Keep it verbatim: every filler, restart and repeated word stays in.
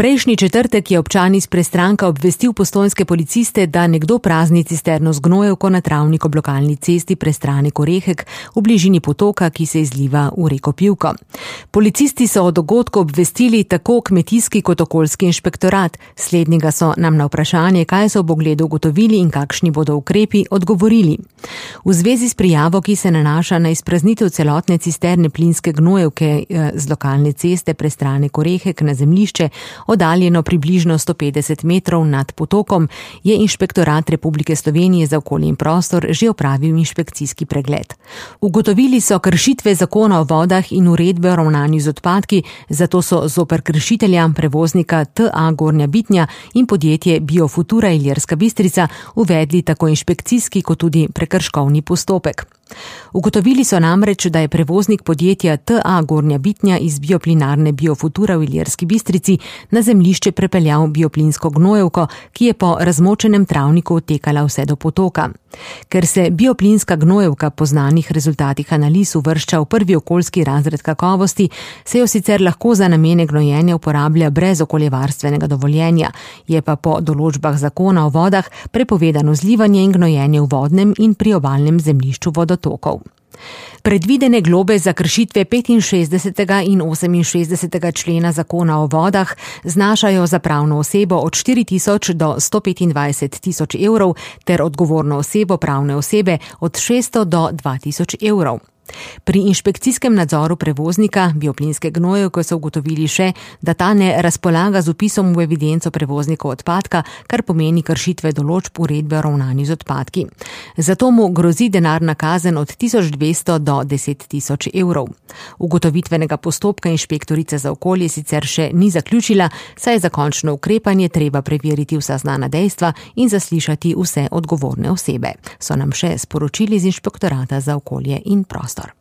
Prejšnji četrtek je občan iz Prestranka obvestil postojnske policiste, da nekdo prazni cisterno z gnojevko na travnik ob lokalni cesti Prestranek-Orehek v bližini potoka, ki se izliva v reko Pivko. Policisti so o dogodku obvestili tako kmetijski kot okoljski inšpektorat. Slednjega so nam na vprašanje, kaj so ob ogledu ugotovili in kakšni bodo ukrepi, odgovorili. V zvezi s prijavo, ki se nanaša na izpraznitev celotne cisterne plinske gnojevke z lokalne ceste Prestranek-Orehek na zemljišče, oddaljeno približno sto petdeset metrov nad potokom, je Inšpektorat Republike Slovenije za okolje in prostor že opravil inšpekcijski pregled. Ugotovili so kršitve zakona o vodah in uredbe o ravnanju z odpadki, zato so zoper kršitelja, prevoznika T A Gornja Bitnja in podjetje Biofutura Ilirska Bistrica uvedli tako inšpekcijski kot tudi prekrškovni postopek. Ugotovili so namreč, da je prevoznik podjetja T A Gornja Bitnja iz bioplinarne Biofutura v Ilirski Bistrici na zemljišče prepeljal bioplinsko gnojevko, ki je po razmočenem travniku odtekala vse do potoka. Ker se bioplinska gnojevka po znanih rezultatih analiz uvršča v prvi okoljski razred kakovosti, se jo sicer lahko za namene gnojenja uporablja brez okoljevarstvenega dovoljenja, je pa po določbah zakona o vodah prepovedano zlivanje in gnojenje v vodnem in priobalnem zemljišču vodotokov. Predvidene globe za kršitve petinšestdesetega in oseminšestdesetega člena zakona o vodah znašajo za pravno osebo od štiri tisoč do sto petindvajset tisoč evrov ter odgovorno osebo pravne osebe od šeststo do dva tisoč evrov. Pri inšpekcijskem nadzoru prevoznika bioplinske gnojevke so ugotovili še, da ta ne razpolaga z vpisom v evidenco prevoznikov odpadka, kar pomeni kršitve določb uredbe o ravnanju z odpadki. Zato mu grozi denarna kazen od tisoč dvesto do deset tisoč evrov. Ugotovitvenega postopka inšpektorica za okolje sicer še ni zaključila, saj je za končno ukrepanje treba preveriti vsa znana dejstva in zaslišati vse odgovorne osebe, so nam še sporočili z Inšpektorata za okolje in prostor.